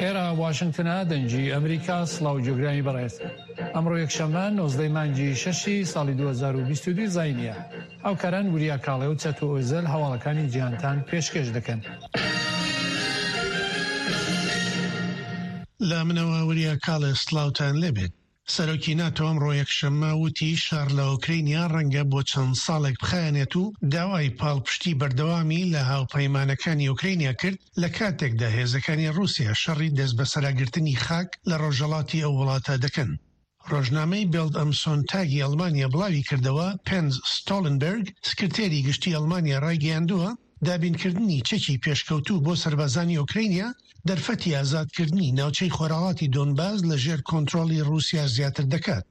ئێرە واشنگتنە دەنگی ئەمریکا سڵاو جۆگرانی بەڕێز ئەمڕۆ یەکشەممە 19 مانگی شەشی ساڵی 2022 زینیە هاوکاران وریا کاڵێ و چەتۆ ئۆزەل هەواڵەکانی جیهانتان پێشکێش دەکەن. لە منەوە وریا کاڵێ سڵاوتان لێبێت. سەرۆکی ناتۆ ئەمڕۆ یەکشەممە وتی شەڕ لە ئۆکرەینیا ڕەنگە بۆ چەند ساڵێک بخایەنێت و داوای پاڵپشتی بەردەوامی لە هاوپەیمانەکانی ئۆکرەینیا کرد لە کاتێکدا هێزەکانی ڕووسیا شەڕی دەستبەسەراگرتنی خاک لە ڕۆژهەڵاتی ئەو وڵاتە دەکەن. ڕۆژنامەی بێڵد ئەم سۆنتاگی ئەڵمانیا بڵاویکردەوە، پێنز ستۆڵنبێرگ، سکرتێری گشتی ئەڵمانیا ڕایگەیاندووە، دابینکردنی چەکی پێشکەوتوو بۆ سەربازانی ئۆکرەینیا، دەرفەتی ئازادکردنی ناوچەی خۆرهەڵاتی دۆنباس لە ژێر کۆنترۆڵی ڕووسیا زیاتر دەکات.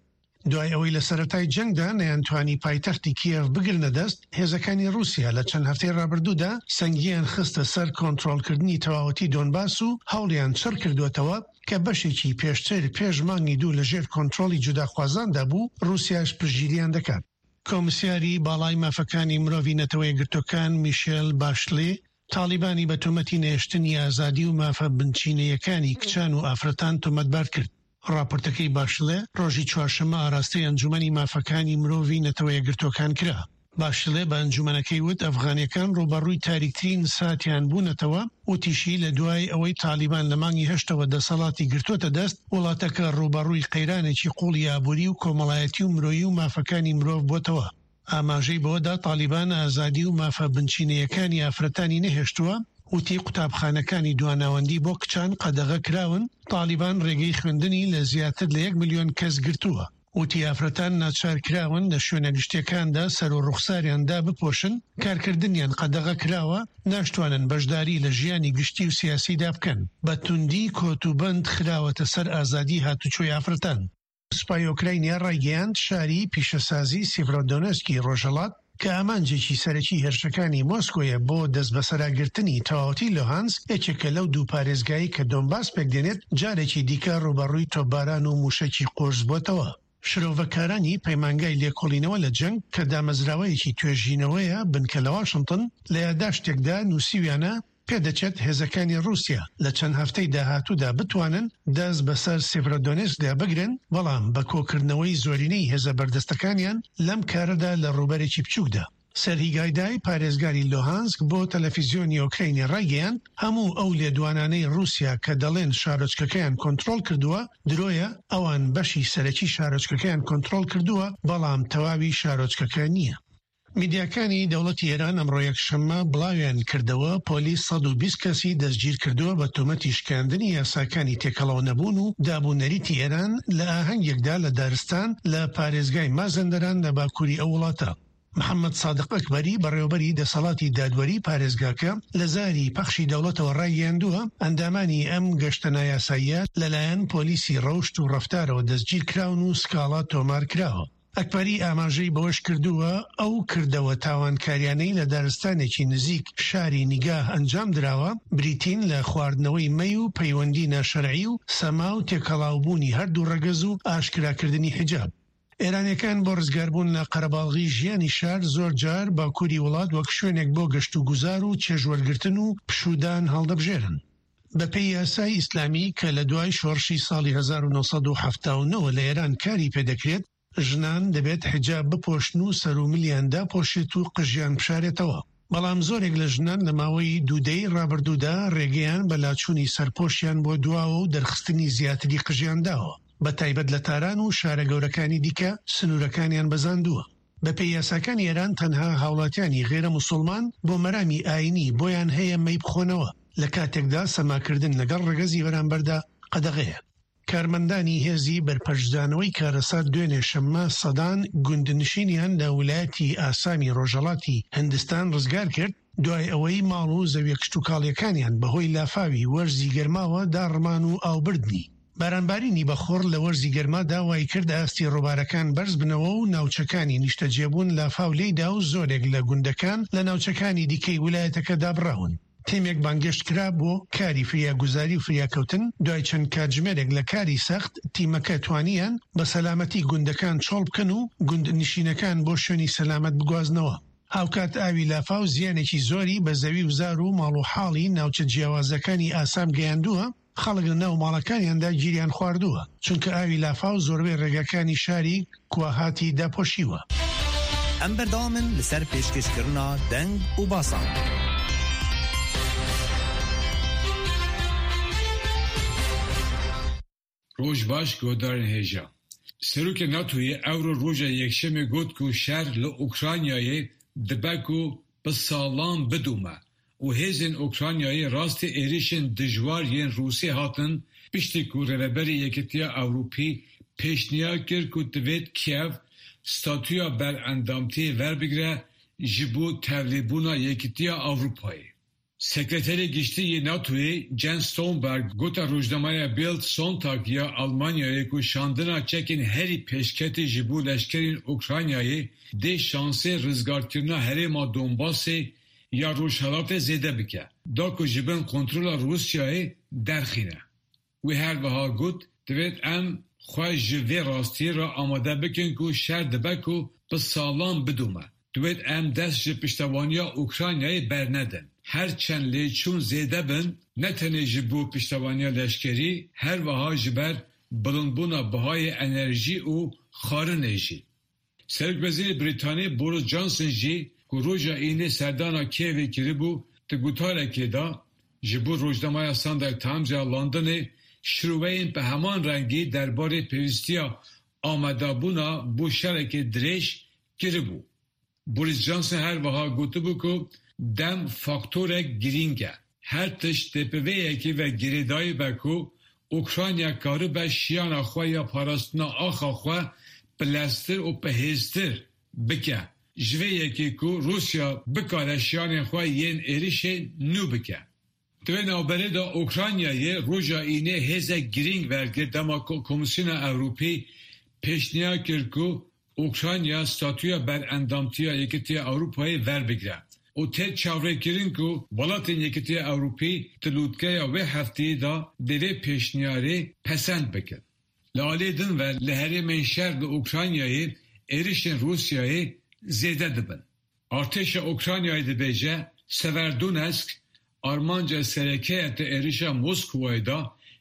دوای ئەوەی لە سەرەتای جەنگدا نەیانتوانی پایتەختی کیێڤ بگرنە دەست، هێزەکانی ڕووسیا لە چەند هەفتەی ڕابردوودا سەنگیان خستە سەر کۆنترۆڵکردنی تەواوەتی دۆنباس و هەوڵیان چڕکردووەتەوە کە بەشێکی پێشتر پێش مانگی دوو لە ژێر کۆنترۆڵی جوداخوازاندا بوو، ڕووسیاش پشتگیریان دەکات. کۆمسیاری باڵای مافەکانی مرۆڤی نەتەوەیەکگرتووەکان میشێل باشلێ تاڵیبانی بە تۆمەتی نەهێشتنی ئازادی و مافە بنچینەیەکانی کچان و ئافرەتان تۆمەتبار کرد. ڕاپۆرتەکەی باشلێ ڕۆژی چوارشەممە ئاراستەی ئەنجومەنی مافەکانی مرۆڤی نەتەوەیەکگرتووەکان کرا. باشلێ بە ئەنجومەنەکەی وت ئەفغانیەکان ڕووبەڕووی تاریکترین ساتیان بوونەتەوە، وتیشی لە دوای ئەوەی تاڵیبان لە مانگی هەشتەوە دەسەڵاتی گرتووەتە دەست، وڵاتەکە ڕووبەڕووی قەیرانێکی قووڵی ئابووری و کۆمەڵایەتی و مرۆیی و مافەکانی مرۆڤ بۆتەوە. ئاماژەی بەوەدا تاڵیبان ئازادی و مافە بنچینەیەکانی ئافرەتانی نەهێشتووە، وتی قوتابخانەکانی دواناوەندی بۆ کچان قەدەغە کراون، تاڵیبان ڕێگەی خوێندنی لە زیاتر لە یەک ملیۆن کەس گرتووە. وتی ئافرەتان ناچارکراون لە شوێنە گشتیەکاندا سەر و ڕوخساریان دابپۆشن، کارکردنیان قەدەغە کراوە، ناشتوانن بەشداری لە ژیانی گشتی و سیاسیدا بکەن، بە توندی کۆت و بەند خراوەتە سەر ئازادی هاتوچۆی ئافرەتان. سوپای ئۆکراینیا ڕایگەیاند شاری پیشەسازی سیڤرۆدۆنێسکی ڕۆژهەڵات کە ئامانجێکی سەرەکی هێرشەکانی مۆسکۆیە بۆ دەستبەسەراگرتنی تەواوەتی لوهانسک، یەکێکە لەو دوو پارێزگایەی کە دۆنباس پێکدێنێت، جارێکی دیکە ڕووبەڕووی تۆپباران و مووشەکی قورس بۆتەوە. شرۆڤەکارانی پەیمانگای لێکۆڵینەوە لە جەنگ کە دامەزراوەیەکی توێژینەوەیە بنکە لە واشنتن، لە یاداشتێکدا نووسیویانە، پێدەچێت هێزەکانی ڕووسیا لە چەند هەفتەی داهاتوودا بتوانن دەست بەسەر سێڤرۆدۆنێسکدا بگرن، بەڵام بە کۆکردنەوەی زۆرینەی هێزە بەردەستەکانیان لەم کارەدا لە ڕووبەرێکی بچووکدا. سێرهی گایدای، پارێزگاری لوهانسک بۆ تەلەفیزیۆنی ئۆکرەینی ڕایگەیاند، هەموو ئەو لێدوانانەی ڕووسیا کە دەڵێن شارۆچکەکەیان کۆنترۆڵ کردووە، درۆیە، ئەوان بەشی سەرەکی شارۆچکەکەیان کۆنترۆڵ کردووە، بەڵام تەواوی شارۆچکەکە نییە. میدیاکانی دەوڵەتی ئێران ئەمڕۆ یەکشەممە بڵاویان کردەوە، پۆلیس 120 کەسی دەستگیرکردووە بە تۆمەتی شکاندنی یاساکانی تێکەڵاو نەبوون و داب و نەریتی ئێران لە ئاهەنگێکدا لە دارستان لە پارێزگای مازەندەران لە باکووری ئەو وڵاتە. محەممەد سادق ئەکبەری، بەڕێوەبەری دەسەڵاتی دادوەری پارێزگاکە لە زاری پەخشی دەوڵەتەوە ڕایگەیاندووە، ئەندامانی ئەم گەشتە نایاساییە لەلایەن پۆلیسی ڕەوشت و ڕەفتارەوە دەستگیرکراون و سکاڵا تۆمارکراوە. ئەکبەری ئاماژەی بەوەشکردووە، ئەو کردەوە تاوانکاریانەی لە دارستانێکی نزیک شاری نیگاه ئەنجامدراوە، بریتین لە خواردنەوەی مەی و پەیوەندی ناشەرعی و سەما و تێکەڵاوبوونی هەردوو ڕەگەز و ئاشکراکردنی حیجاب. ئێرانیەکان بۆ ڕزگاربوون لە قەرەباڵغی ژیانی شار زۆرجار باکووری وڵات وەک شوێنێک بۆ گەشتوگوزار و چێژوەرگرتن و پشوودان هەڵدەبژێرن. بەپێی یاسای ئیسلامی کە لە دوای شۆڕشی ساڵی 1979 لە ئێران کاری پێدەکرێت، ژنان دەبێت حیجاب بپۆشن و سەر و ملیان داپۆشێت و قژیان بشارێتەوە. بەڵام زۆرێک لە ژنان لە ماوەی دوو دەیەی ڕابردوودا ڕێگەیان بە لاچوونی سەرپۆشیان بۆ دواوە و دەرخستنی زیاتری قژیان داوە، بەتایبەت لە تاران و شارە گەورەکانی دیکە سنوورەکانیان بەزاندووە. بەپێی یاساکانی ئێران تەنها هاوڵاتیانی غەیرە موسوڵمان بۆ مەرامی ئاینی بۆیان هەیە مەی بخۆنەوە، لە کاتێکدا سەماکردن لەگەڵ ڕەگەزی بەرامبەردا قەدەغەیە. کارمەندانی هێزی بەرپەرچدانەوەی کارەسات دوێنێ شەممە سەدان گوندنشینیان لە ولایەتی ئاسامی ڕۆژهەڵاتی هندستان ڕزگار کرد، دوای ئەوەی ماڵ و زەویە کشتوکاڵیەکانیان بەهۆی لافاوی وەرزی گەرماوە داڕمان و ئاوبردنی. بارانبارینی بەخوڕ لە وەرزی گەرمادا وایکرد ئاستی ڕووبارەکان بەرزبنەوە و ناوچەکانی نیشتەجێبوون لافاو لێیدا و زۆرێک لە گوندەکان لە ناوچەکانی دیکەی ولایەتەکە دابڕاون. تیمێک بانگێشت کرا بۆ کاری فریاگوزاری و فریاکەوتن، دوای چەند کاتژمێرێک لە کاری سەخت، تیمەکە توانیان بە سەلامەتی گوندەکان چۆڵ بکەن و گوندنشینەکان بۆ شوێنی سەلامەت بگوازنەوە. هاوکات ئاوی لافاو زیانێکی زۆری بە زەوی و زار و ماڵ و حاڵی ناوچە جیاوازەکانی ئاسام گەیاندووە. خەڵک لە ناو ماڵەکانیاندا گیریان خواردووە، چونکە ئاوی لافاو زۆربەی ڕێگاکانی شاری کواهاتی داپۆشیوە. ئەم بەردەوامن لەسەر پێشکەشکردنا دەنگ و باسان. Roj baş guhdarên hêja. Serokê NATOyê ewro roja Yekşemê got ku şer li Ukraynayê dibe ku bi salan bidome û hêzên Ukraynayê rastî êrişên dijwar yên Rûsê hatin piştî ku Rêveberê Yekîtiya Ewropî pêşniyar kir ku divêt Kiev statuya berendamtiyê werbigire ji bo tevlîbûna Yekîtiya Ewropayê. Sekreterê Giştî yê NATOyê Jens Stoltenberg gote rojnameya Bild Sonntag ya Almanyayê ku şandina çekên herî pêşketî ji bo leşkerên Ukraynayê dê şansê rizgarkirina herêma Donbasê ya Rojhilatê zêde bike da ku ji bin kontrola Rûsyayê derxîne. Wî her wiha got, Divêt em xwe ji vê rastiyê re amade bikin ku şer dibe ku bi salan bidome. Divêt em dest ji piştevaniya Ukraynayê bernedin. Her çend lêçûn zêde bin, ne tenê ji bo piştevaniya leşkerî, her wiha ji ber bilindbûna bihayê enerjî û xwarinê jî. Serokwezîrê Brîtanî Boris Johnson jî ku roja Înê serdana Kievê kiribû, di gotarekê de ji bo rojnameya Sunday Times ya Londonê şiroveyên bi heman rengî derbarê pêwîstiya amadebûna bo şerekê dirêj kiribû. Boris Johnson her wiha gotibû ku dem faktorek girîng e. Her tişt dê bi vê yekê ve girêdayî be ku Ukrayna karibe şiyana xwe ya parastina axa xwe bi leztir û bi hêztir bike ji vê yekê ku Rûsya bikare şiyanên xwe yên êrişê nû bike. Di vê navberê de Ukraynayê roja Înê hêzek girîng wergirt dema ku Komîsyona Ewropî pêşniyar kir ku Ukrayna statuya berendamtiya Yekîtiya Ewropayê werbigire û tê çavrêkirin ku welatên Yekîtiya Ewropî di lûtkeya wê hefteyê de dê vê pêşniyarê pesend bikin. Li aliyê din ve li herêmên şer li Ukraynayê êrişên Rûsyayê zêde dibin. Artêşa Ukraynayê dibêje Severodonetsk armanca sereke ye di êrişa Moskowayê de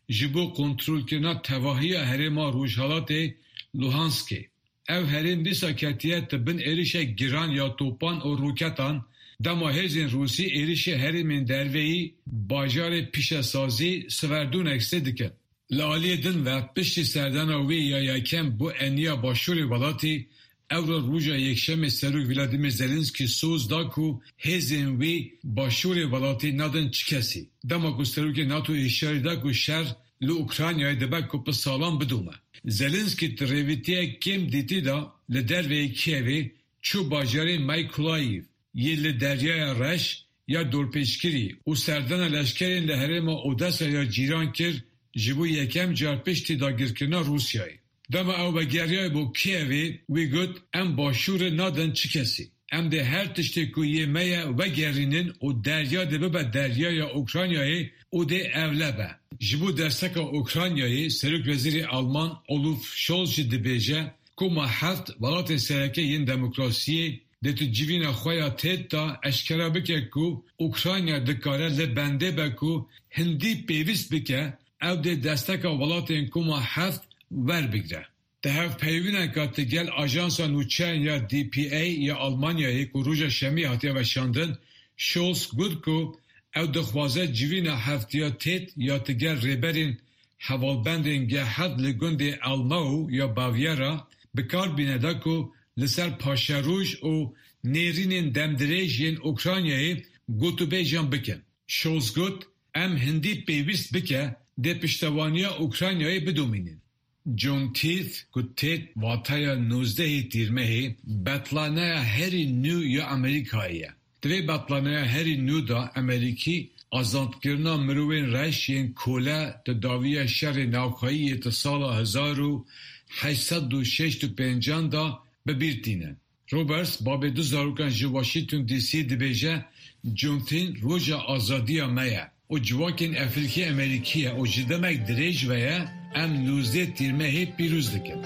ji bo kontrolkirina tevahiya herêma rojhilatê Luhanskê. Ev herêm dîsa ketiye di bin êrişek giran ya topan û roketan dema hêzên Rûsî êrişê herêmên derveyî bajarê pîşesazî Severodonetskê dikin. Li aliyê din ve piştî serdana wî ya yekem bo eniya başûrê welatî, ewro roja Yekşemê Serok Vladimir Zelenskiy soz da ku hêzên wî başûrê welatî nadin çi kesî. Dema ku Serokê NATO'yê hişyarî da ku şer li Ukraynayê dibe ku bi salan bidome. Zelenskiy di rêwîtiyek kêm dîtî de li derveyê Kievê çû bajarê Mykolaiv yê li Deryaya Reş ya dorpêçkirî û serdana leşkerên li herêma Odessa ya cîran kir ji bo yekem car piştî dagirkirina Rûsyayê. Dema ew vegeriyayê bo Kievê, wî got, Em başûrê nadin çi kesî. Em dê her tiştê ku yê me ye vegerînin û derya dê bibe deryaya Ukraynayê û dê ewle be. Ji bo desteka Ukraynayê Serokwezîrê Alman Olaf Scholz jî dibêje, Koma heft welatên sereke yên demokrasiyê dê tu civîna xwe ya têd de eşkere bike ku Ukrayna dikare li bendê be ku hindî pêwîst bike ew dê desteka welatên Koma heft werbigre. Di hevpeyvîneke ti gel ajansa nûçeyan ya DPA ya Almanyayê ku roja şemiyê hatiye weşandin, Scholz got ku ew dixwaze civîna heftiya têd ya ti gel rêberên Hevalbendên G7 li gundê Elmau ya Bavyera bi kar bîne da ku li ser paşeroj û nêrînên demdirêj yên Ukraynayê gotûbêjan bikin. Scholz got, Em hindî pêwîst bike dê piştevaniya Ukraynayê bidomînin. Juneteenth ku têt wateya nozdehê Tîrmehê, betlaneya herî nû ya Amerîkayê ye. Di vê betlaneya herî nû de Amerîkî azadkirina mirovên reş yên kole di dawiya şerê navxweyî yê di sala 1865 an de bi bîr tînin. Roberts babê du zarokan ji Washington DC dibêje, Juneteenth roja azadiya me ye û civakên Efrîkî Amerîkî ye û ji demek dirêj ve ye em nozdeh Tîrmehê pîroz dikin.